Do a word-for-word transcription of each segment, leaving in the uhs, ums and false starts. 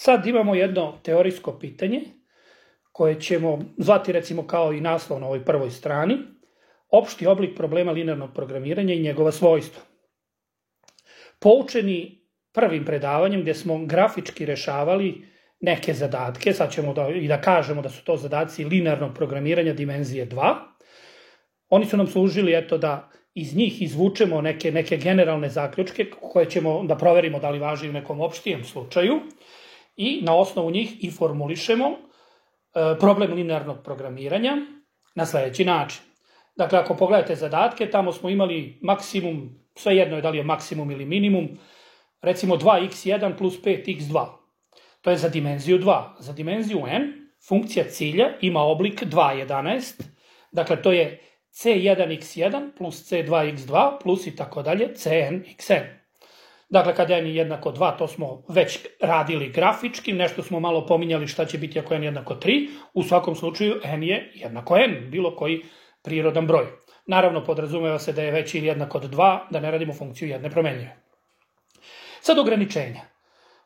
Sad imamo jedno teorijsko pitanje koje ćemo zvati recimo kao i naslov na ovoj prvoj strani, opšti oblik problema linearnog programiranja i njegova svojstva. Poučeni prvim predavanjem gdje smo grafički rešavali neke zadatke, sad ćemo da, i da kažemo da su to zadaci linearnog programiranja dimenzije dva, oni su nam služili eto da iz njih izvučemo neke, neke generalne zaključke koje ćemo da proverimo da li važi u nekom opštijem slučaju i na osnovu njih i formulišemo e, problem linearnog programiranja na sledeći način. Dakle, ako pogledate zadatke, tamo smo imali maksimum, svejedno je da li je maksimum ili minimum, recimo dva iks jedan plus pet iks dva. To je za dimenziju dva. Za dimenziju n funkcija cilja ima oblik dva jedanaest, dakle to je c jedan iks jedan plus c dva iks dva plus i tako dalje cn xn. Dakle, kada n je jednako dva, to smo već radili grafički, nešto smo malo pominjali šta će biti ako n je jednako tri, u svakom slučaju n je jednako n, bilo koji prirodan broj. Naravno, podrazumeva se da je veći ili jednak od dva, da ne radimo funkciju jedne promenljive. Sad ograničenja.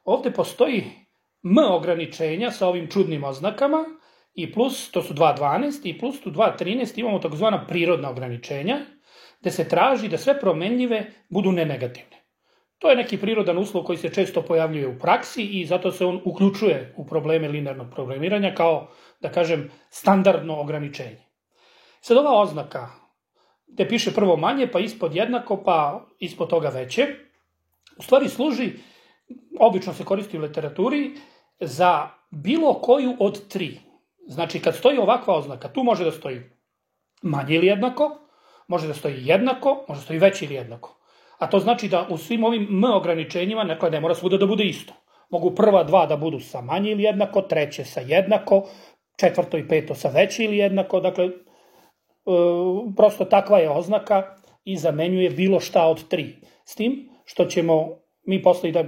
Ovde postoji m ograničenja sa ovim čudnim oznakama i plus, to su dva dvanaest, i plus tu dva trinaest imamo takozvana prirodna ograničenja, gde se traži da sve promenljive budu nenegativne. To je neki prirodan uslov koji se često pojavljuje u praksi i zato se on uključuje u probleme linearnog programiranja kao, da kažem, standardno ograničenje. Sad ova oznaka, gde piše prvo manje, pa ispod jednako, pa ispod toga veće, u stvari služi, obično se koristi u literaturi, za bilo koju od tri. Znači, kad stoji ovakva oznaka, tu može da stoji manje ili jednako, može da stoji jednako, može da stoji veće ili jednako. A to znači da u svim ovim m ograničenjima, dakle, ne mora svuda da bude isto. Mogu prva dva da budu sa manje ili jednako, treće sa jednako, četvrto i peto sa veće ili jednako, dakle, prosto takva je oznaka i zamenjuje bilo šta od tri. S tim što ćemo mi posle da,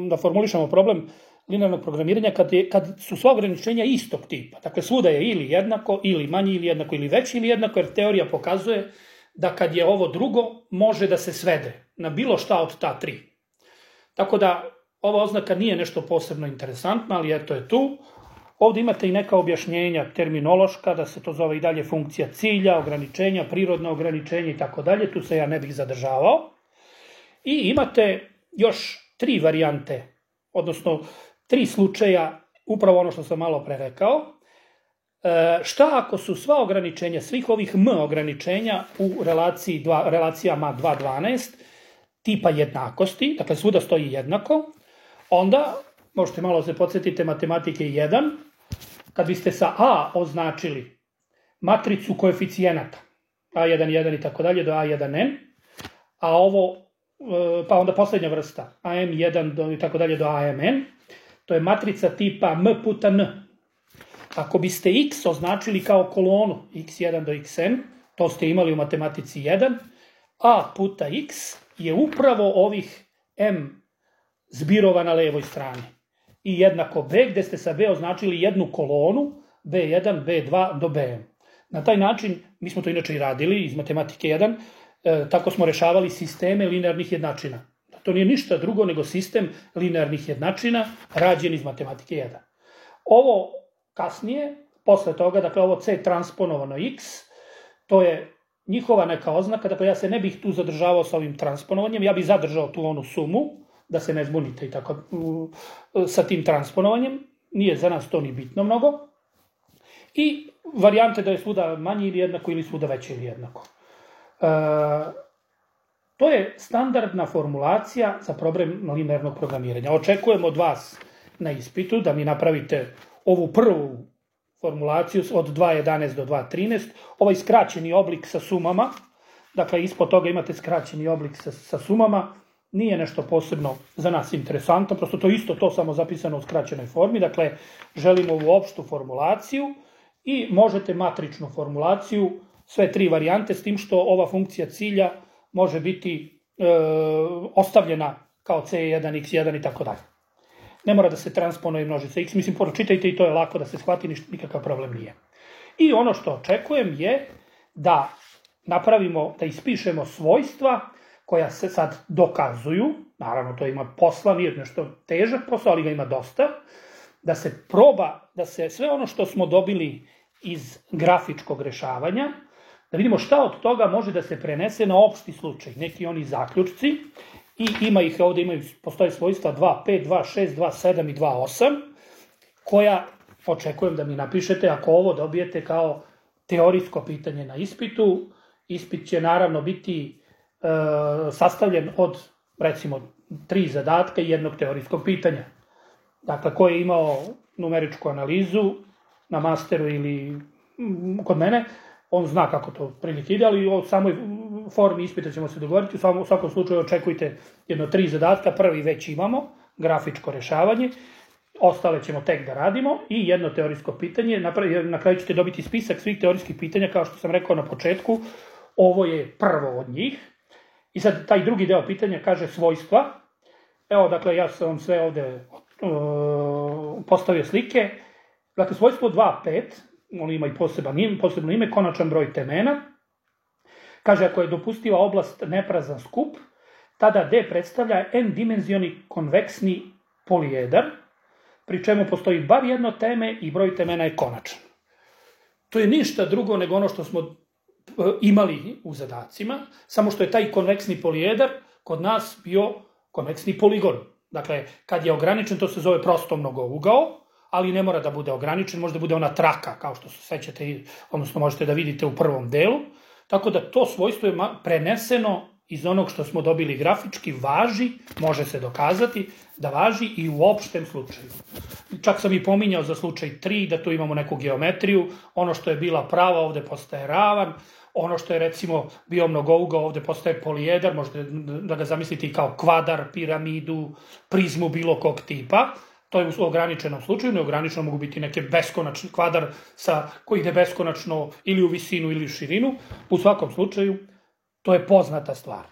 da formulišemo problem linearnog programiranja kad, je, kad su sva ograničenja istog tipa. Dakle, svuda je ili jednako, ili manje ili jednako, ili veće ili jednako, jer teorija pokazuje da kad je ovo drugo, može da se svede na bilo šta od ta tri. Tako da, ova oznaka nije nešto posebno interesantna, ali eto je tu. Ovde imate i neka objašnjenja terminološka, da se to zove i dalje funkcija cilja, ograničenja, prirodno ograničenje i tako dalje, tu se ja ne bih zadržavao. I imate još tri varijante, odnosno tri slučaja, upravo ono što sam malo pre rekao. E, šta ako su sva ograničenja, svih ovih m ograničenja u relaciji dva, relacijama dva dvanaest tipa jednakosti, dakle svuda stoji jednako, onda možete malo se podsjetiti matematike jedan, kad biste sa A označili matricu koeficijenata, a jedan, jedan i tako dalje do a jedan n, a ovo, pa onda poslednja vrsta, a m jedan do, i tako dalje do a m n, to je matrica tipa m puta n. Ako biste x označili kao kolonu iks jedan do xn, to ste imali u matematici jedan, a puta x je upravo ovih m zbirova na levoj strani. I jednako b, gde ste sa b označili jednu kolonu, be jedan, be dva do bm. Na taj način, mi smo to inače i radili iz matematike jedan, e, tako smo rešavali sisteme linearnih jednačina. To nije ništa drugo nego sistem linearnih jednačina rađen iz matematike jedan. Ovo kasnije, posle toga, dakle ovo c transponovano x, to je njihova neka oznaka, dakle ja se ne bih tu zadržavao sa ovim transponovanjem, ja bih zadržao tu onu sumu, da se ne zbunite i tako sa tim transponovanjem, nije za nas to ni bitno mnogo. I varijante da je svuda manje ili jednako ili svuda veće ili jednako. E, to je standardna formulacija za problem linearnog programiranja. Očekujem od vas na ispitu da mi napravite ovu prvu formulaciju od dva jedanaest do dva trinaest, ovaj skraćeni oblik sa sumama, dakle ispod toga imate skraćeni oblik sa, sa sumama, nije nešto posebno za nas interesantno, prosto to isto to samo zapisano u skraćenoj formi, dakle želimo ovu opštu formulaciju i možete matričnu formulaciju, sve tri varijante, s tim što ova funkcija cilja može biti e, ostavljena kao c jedan, iks jedan i tako dalje. Ne mora da se transponuje množica x, mislim, pročitajte i to je lako da se shvati, nikakav problem nije. I ono što očekujem je da napravimo, da ispišemo svojstva koja se sad dokazuju, naravno to ima posla, nije nešto težak posao, ali ga ima dosta, da se proba, da se sve ono što smo dobili iz grafičkog rešavanja, da vidimo šta od toga može da se prenese na opšti slučaj, neki oni zaključci, i ima ih ovde, imaju, postoje svojstva dva pet, dva šest, dva sedam i dva osam, koja očekujem da mi napišete ako ovo dobijete kao teorijsko pitanje na ispitu. Ispit će naravno biti e, sastavljen od, recimo, tri zadatka i jednog teorijskog pitanja. Dakle, ko je imao numeričku analizu na masteru ili kod mene, on zna kako to prilike ide, ali o samoj formi ispita ćemo se dogovoriti. U svakom slučaju očekujte jedno tri zadatka, prvi već imamo, grafičko rešavanje, ostale ćemo tek da radimo i jedno teorijsko pitanje. Na kraju ćete dobiti spisak svih teorijskih pitanja, kao što sam rekao na početku, ovo je prvo od njih. I sad taj drugi deo pitanja kaže svojstva. Evo, dakle, ja sam vam sve ovde uh, postavio slike. Dakle, svojstvo dva pet, on ima i poseban ime, posebno ime, konačan broj temena. Kaže, ako je dopustiva oblast neprazan skup, tada D predstavlja n-dimenzioni konveksni polijedar, pri čemu postoji bar jedno teme i broj temena je konačan. To je ništa drugo nego ono što smo imali u zadacima, samo što je taj konveksni polijedar kod nas bio konveksni poligon. Dakle, kad je ograničen, to se zove prosto mnogougao, ali ne mora da bude ograničen, može da bude ona traka, kao što se sećate, odnosno možete da vidite u prvom delu. Tako da to svojstvo je preneseno iz onog što smo dobili grafički, važi, može se dokazati da važi i u opštem slučaju. Čak sam i pominjao za slučaj tri, da tu imamo neku geometriju, ono što je bila prava ovde postaje ravan, ono što je recimo bio mnogougao ovde postaje polijedar, možete da ga zamislite i kao kvadar, piramidu, prizmu bilo kog tipa. To je u ograničenom slučaju, neograničeno mogu biti neke beskonačni kvadar sa, koji ide beskonačno ili u visinu ili u širinu. U svakom slučaju, to je poznata stvar.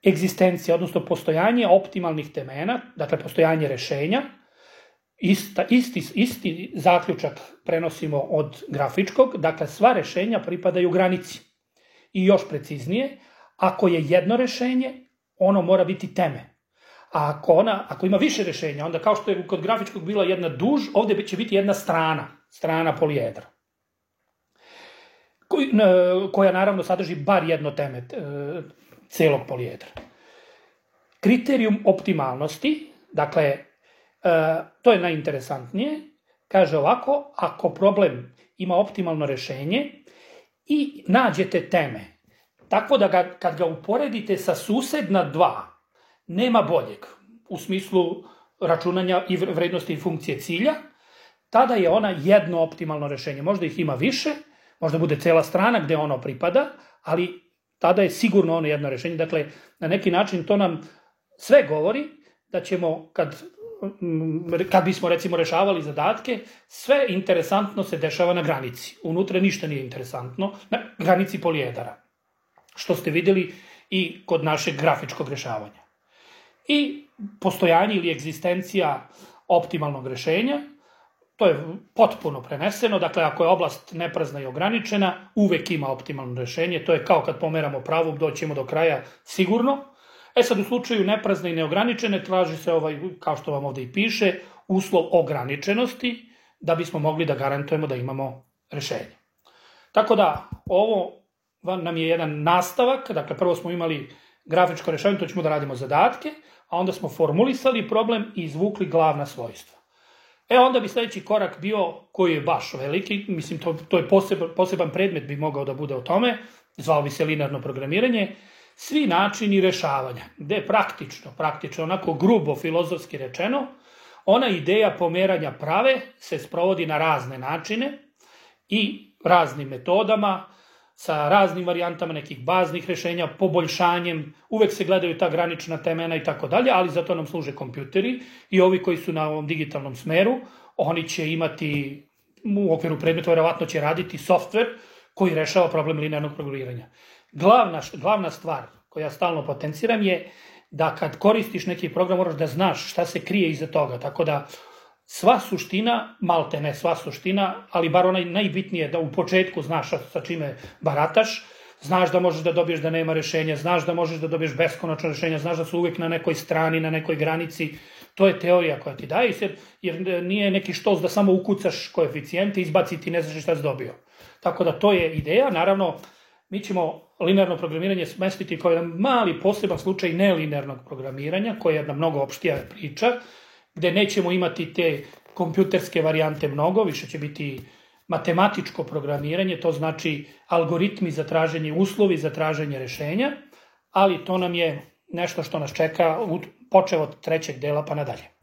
Egzistencija, odnosno postojanje optimalnih temena, dakle postojanje rešenja, ista, isti, isti zaključak prenosimo od grafičkog, dakle sva rešenja pripadaju granici. I još preciznije, ako je jedno rešenje, ono mora biti teme. A ako, ona, ako ima više rešenja, onda kao što je kod grafičkog bila jedna duž, ovde će biti jedna strana, strana polijedra, Koj, koja naravno sadrži bar jedno teme celog polijedra. Kriterijum optimalnosti, dakle, to je najinteresantnije, kaže ovako, ako problem ima optimalno rešenje i nađete teme, tako da ga, kad ga uporedite sa susedna dva, nema boljeg u smislu računanja i vrednosti i funkcije cilja, tada je ona jedno optimalno rešenje. Možda ih ima više, možda bude cela strana gde ono pripada, ali tada je sigurno ono jedno rešenje. Dakle, na neki način to nam sve govori da ćemo, kad, kad bismo recimo rešavali zadatke, sve interesantno se dešava na granici. Unutra ništa nije interesantno, na granici polijedara, što ste videli i kod našeg grafičkog rešavanja. I postojanje ili egzistencija optimalnog rešenja, to je potpuno preneseno, dakle ako je oblast neprazna i ograničena, uvek ima optimalno rešenje, to je kao kad pomeramo pravu, doćemo do kraja sigurno. E sad u slučaju neprazne i neograničene traži se ovaj, kao što vam ovde i piše, uslov ograničenosti, da bismo mogli da garantujemo da imamo rešenje. Tako da ovo nam je jedan nastavak, dakle prvo smo imali grafičko rešavanje, to ćemo da radimo zadatke, a onda smo formulisali problem i izvukli glavna svojstva. E onda bi sledeći korak bio, koji je baš veliki, mislim to, to je poseban, poseban predmet bi mogao da bude o tome, zvao bi se linearno programiranje, svi načini rešavanja, gde praktično, praktično onako grubo filozofski rečeno, ona ideja pomeranja prave se sprovodi na razne načine i raznim metodama, sa raznim varijantama nekih baznih rešenja, poboljšanjem, uvek se gledaju ta granična temena i tako dalje, ali zato nam služe kompjuteri i ovi koji su na ovom digitalnom smeru, oni će imati, u okviru predmeta, verovatno će raditi softver koji rešava problem linearnog programiranja. Glavna, glavna stvar koju ja stalno potenciram je da kad koristiš neki program moraš da znaš šta se krije iza toga, tako da sva suština, malte ne sva suština, ali bar onaj najbitnije da u početku znaš sa čime barataš, znaš da možeš da dobiješ da nema rešenja, znaš da možeš da dobiješ beskonačno rešenja, znaš da su uvek na nekoj strani, na nekoj granici, To je teorija koja ti daje, jer nije neki štos da samo ukucaš koeficijente, izbaciti ne znaš šta si dobio. Tako da to je ideja. Naravno, mi ćemo linearno programiranje smestiti kao jedan mali poseban slučaj nelinearnog programiranja, koja je jedna mnogo opštija priča, gde nećemo imati te kompjuterske varijante mnogo, više će biti matematičko programiranje, to znači algoritmi za traženje, uslovi za traženje rešenja, ali to nam je nešto što nas čeka počev od trećeg dela pa nadalje.